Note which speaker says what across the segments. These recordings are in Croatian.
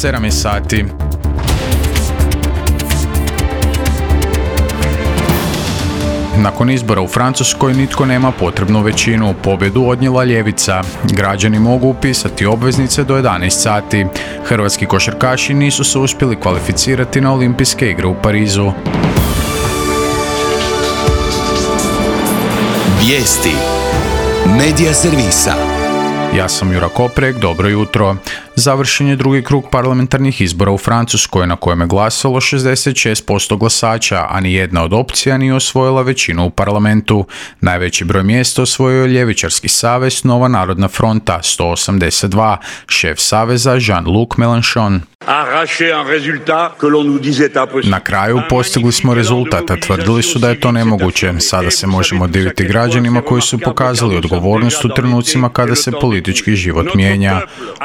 Speaker 1: 7 je sati. Nakon izbora u Francuskoj nitko nema potrebnu većinu. Pobjedu odnijela ljevica. Građani mogu upisati obveznice do 11 sati. Hrvatski košarkaši nisu se uspjeli kvalificirati na Olimpijske igre u Parizu.
Speaker 2: Vijesti Medija servisa.
Speaker 1: Ja sam Jura Koprek, dobro jutro. Završen je drugi krug parlamentarnih izbora u Francuskoj na kojem je glasalo 66% glasača, a ni jedna od opcija nije osvojila većinu u parlamentu. Najveći broj mjesta osvojio je ljevičarski savez Nova narodna fronta 182, šef saveza Jean-Luc Mélenchon. Na kraju postigli smo rezultat, a tvrdili su da je to nemoguće. Sada se možemo diviti građanima koji su pokazali odgovornost u trenucima kada se politički život mijenja.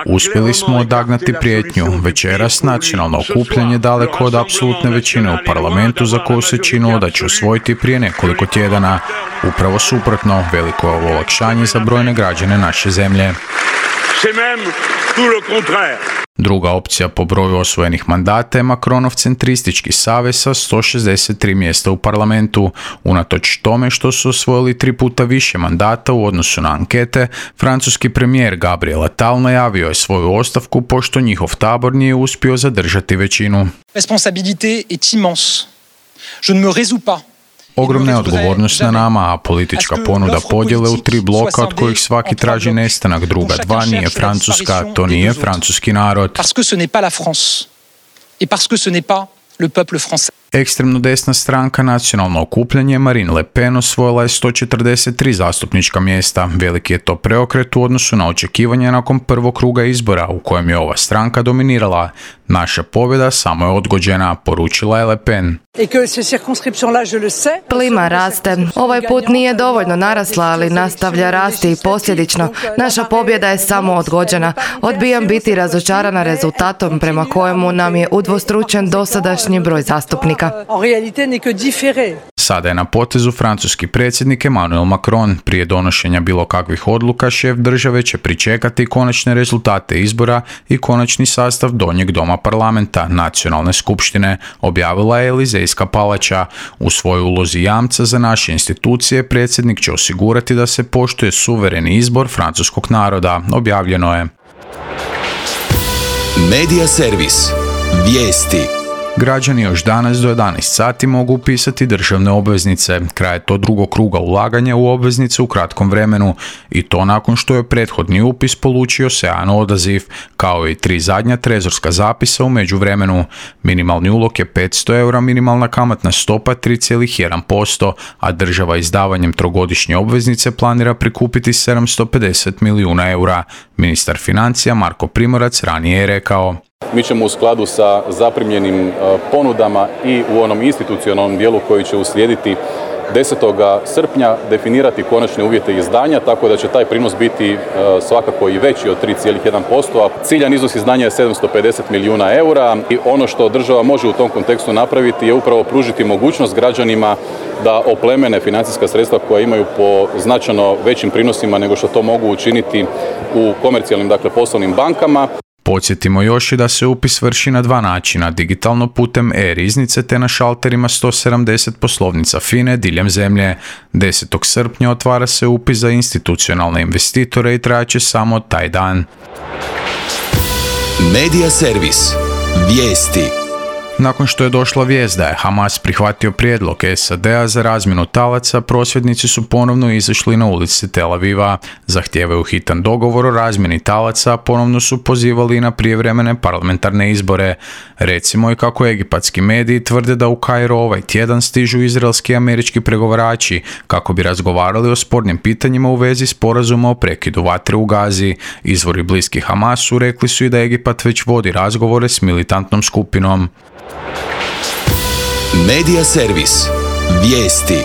Speaker 1: Uspjeli smo odagnati prijetnju. Večeras nacionalno okupljanje daleko od apsolutne većine u parlamentu za koju se činilo da će usvojiti prije nekoliko tjedana. Upravo suprotno, veliko je ovo olakšanje za brojne građane naše zemlje. Druga opcija po broju osvojenih mandata je Macronov centristički savez sa 163 mjesta u parlamentu. Unatoč tome što su osvojili 3 puta više mandata u odnosu na ankete, francuski premijer Gabriel Attal najavio je svoju ostavku pošto njihov tabor nije uspio zadržati većinu.
Speaker 3: Responsabilité est immense. Je ne me résous pas.
Speaker 1: Ogromna je odgovornost na nama, a politička ponuda podjele u 3 bloka od kojih svaki traži nestanak druga 2 nije Francuska, to nije francuski narod. Ekstremno desna stranka Nacionalno okupljanje Marine Le Pen osvojila je 143 zastupnička mjesta. Veliki je to preokret u odnosu na očekivanja nakon prvog kruga izbora u kojem je ova stranka dominirala. Naša pobjeda samo je odgođena, poručila je Le Pen.
Speaker 4: Plima raste. Ovaj put nije dovoljno narasla, ali nastavlja rasti i posljedično. Naša pobjeda je samo odgođena. Odbijam biti razočarana rezultatom prema kojemu nam je udvostručen dosadašnji broj zastupnika.
Speaker 1: Sada je na potezu francuski predsjednik Emmanuel Macron. Prije donošenja bilo kakvih odluka, šef države će pričekati konačne rezultate izbora i konačni sastav donjeg doma parlamenta, nacionalne skupštine, objavila je Elizejska palača. U svojoj ulozi jamca za naše institucije predsjednik će osigurati da se poštuje suvereni izbor francuskog naroda, objavljeno je.
Speaker 2: Medija servis. Vijesti.
Speaker 1: Građani još danas do 11 sati mogu upisati državne obveznice. Kraj je to drugog kruga ulaganja u obveznice u kratkom vremenu i to nakon što je prethodni upis polučio sjajan odaziv, kao i 3 zadnja trezorska zapisa u međuvremenu. Minimalni ulog je 500 eura, minimalna kamatna stopa 3,1%, a država izdavanjem trogodišnje obveznice planira prikupiti 750 milijuna eura. Ministar financija Marko Primorac ranije je rekao:
Speaker 5: Mi ćemo u skladu sa zaprimljenim ponudama i u onom institucionalnom dijelu koji će uslijediti 10. srpnja definirati konačne uvjete izdanja, tako da će taj prinos biti svakako i veći od 3,1%, a ciljan iznos izdanja je 750 milijuna eura i ono što država može u tom kontekstu napraviti je upravo pružiti mogućnost građanima da oplemene financijska sredstva koja imaju po značajno većim prinosima nego što to mogu učiniti u komercijalnim, poslovnim bankama.
Speaker 1: Podsjetimo još i da se upis vrši na 2 načina, digitalno putem e-riznice te na šalterima 170 poslovnica FINA-e diljem zemlje. 10. srpnja otvara se upis za institucionalne investitore i trajaće samo taj dan.
Speaker 2: Medija servis. Vijesti.
Speaker 1: Nakon što je došla vijest da je Hamas prihvatio prijedlog SAD-a za razmjenu talaca, prosvjednici su ponovno izašli na ulici Tel Aviva. Zahtijevaju hitan dogovor o razmjeni talaca, ponovno su pozivali na prijevremene parlamentarne izbore. Recimo i kako egipatski mediji tvrde da u Kairo ovaj tjedan stižu izraelski i američki pregovarači kako bi razgovarali o spornim pitanjima u vezi sporazuma o prekidu vatre u Gazi. Izvori bliski Hamasu rekli su i da Egipat već vodi razgovore s militantnom skupinom.
Speaker 2: Medija servis. Vijesti.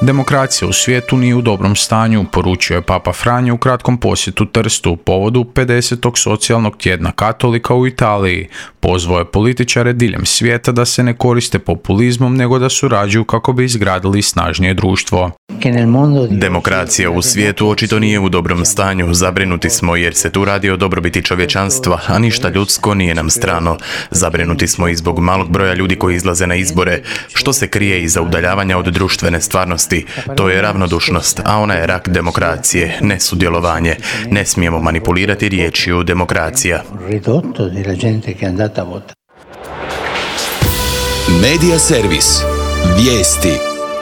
Speaker 1: Demokracija u svijetu nije u dobrom stanju, poručio je Papa Franjo u kratkom posjetu Trstu u povodu 50. socijalnog tjedna katolika u Italiji. Pozvao je političare diljem svijeta da se ne koriste populizmom, nego da surađuju kako bi izgradili snažnije društvo.
Speaker 6: Demokracija u svijetu očito nije u dobrom stanju. Zabrinuti smo jer se tu radi o dobrobiti čovječanstva, a ništa ljudsko nije nam strano. Zabrinuti smo i zbog malog broja ljudi koji izlaze na izbore. Što se krije iza udaljavanja od društvene stvarnosti? To je ravnodušnost, a ona je rak demokracije, ne sudjelovanje. Ne smijemo manipulirati riječju demokracija.
Speaker 2: Medija servis. Vijesti.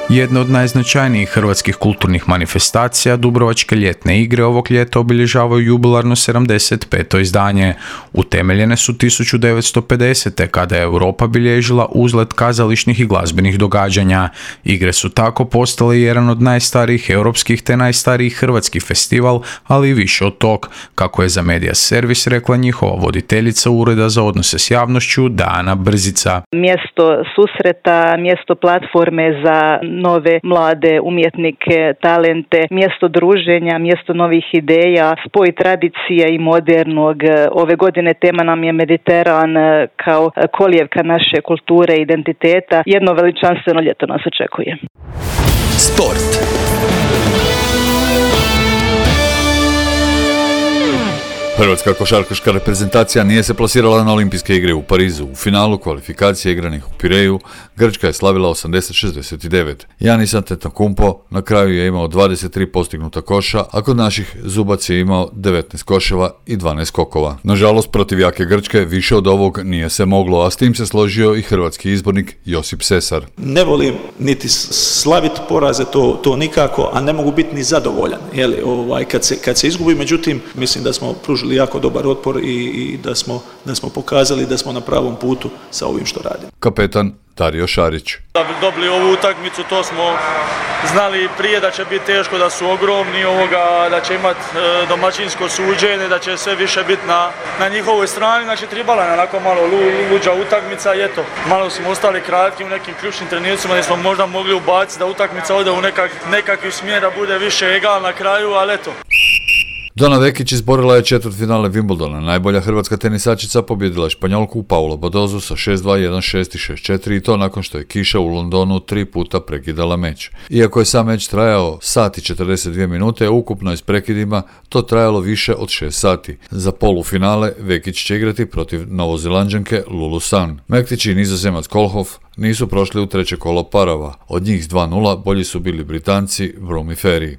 Speaker 1: Jedna od najznačajnijih hrvatskih kulturnih manifestacija, Dubrovačke ljetne igre, ovog ljeta obilježavaju jubilarno 75. izdanje. Utemeljene su 1950. kada je Europa bilježila uzlet kazališnih i glazbenih događanja. Igre su tako postale jedan od najstarijih europskih te najstarijih hrvatskih festival, ali i više od tog, kako je za Medija servis rekla njihova voditeljica Ureda za odnose s javnošću Dana Brzica.
Speaker 7: Mjesto susreta, mjesto platforme za nove mlade umjetnike, talente, mjesto druženja, mjesto novih ideja, spoj tradicije i modernog. Ove godine tema nam je Mediteran kao kolijevka naše kulture i identiteta. Jedno veličanstveno ljeto nas očekuje.
Speaker 2: Sport.
Speaker 8: Hrvatska košarkaška reprezentacija nije se plasirala na olimpijske igre u Parizu. U finalu kvalifikacije igranih u Pireju, Grčka je slavila 80-69. Giannis Antetokounmpo na kraju je imao 23 postignuta koša, a kod naših Zubac je imao 19 koševa i 12 skokova. Nažalost, protiv jake Grčke više od ovog nije se moglo, a s tim se složio i hrvatski izbornik Josip Sesar.
Speaker 9: Ne volim niti slaviti poraze, to nikako, a ne mogu biti ni zadovoljan. Kad se izgubi, međutim, mislim da smo pružili jako dobar otpor i da smo pokazali da smo na pravom putu sa ovim što radimo.
Speaker 8: Kapetan Dario Šarić.
Speaker 10: Da bi dobili ovu utakmicu, to smo znali prije da će biti teško, da su ogromni, da će imati domaćinsko suđenje, da će sve više biti na njihovoj strani. Znači, tribala je onako malo luđa utakmica i eto, malo smo ostali kratki u nekim ključnim trenucima gdje smo možda mogli ubaciti da utakmica ode u nekakvi smjer, da bude više egal na kraju, ali eto.
Speaker 8: Dona Vekić izborila je četvrtfinale Wimbledona. Najbolja hrvatska tenisačica pobjedila je Španjolku Paulu Badozu sa 6-2, 1-6 i 6-4 i to nakon što je kiša u Londonu 3 puta prekidala meč. Iako je sam meč trajao sat i 42 minute, ukupno je s prekidima to trajalo više od 6 sati. Za polufinale Vekić će igrati protiv Novozelanđanke Lulu San. Mektić i Nizozemac Kolhoff nisu prošli u treće kolo parova. Od njih s 2-0 bolji su bili Britanci Broom i Ferry.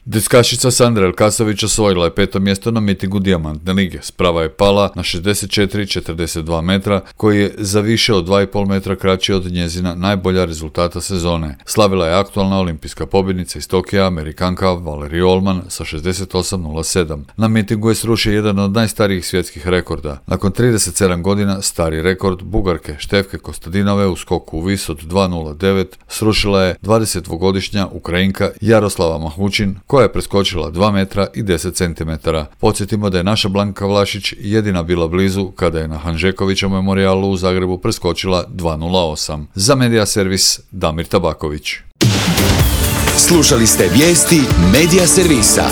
Speaker 8: Diskašica Sandra Elkasović osvojila je 5. mjesto na mitingu Dijamantne lige. Sprava je pala na 64,42 metra, koji je za više od 2,5 metra kraći od njezina najbolja rezultata sezone. Slavila je aktualna olimpijska pobjednica iz Tokija, Amerikanka Valerie Allman sa 68,07. Na mitingu je srušio jedan od najstarijih svjetskih rekorda. Nakon 37 godina stari rekord Bugarke Štefke Kostadinove u skoku u vis od 2,09 srušila je 22-godišnja Ukrajinka Jaroslava Mahučin, koja je preskočila 2 metra i 10 centimetara. Podsjetimo da je naša Blanka Vlašić jedina bila blizu kada je na Hanžekovićevom memorijalu u Zagrebu preskočila 2.08. Za Medija servis Damir Tabaković.
Speaker 2: Slušali ste vijesti Medija servisa.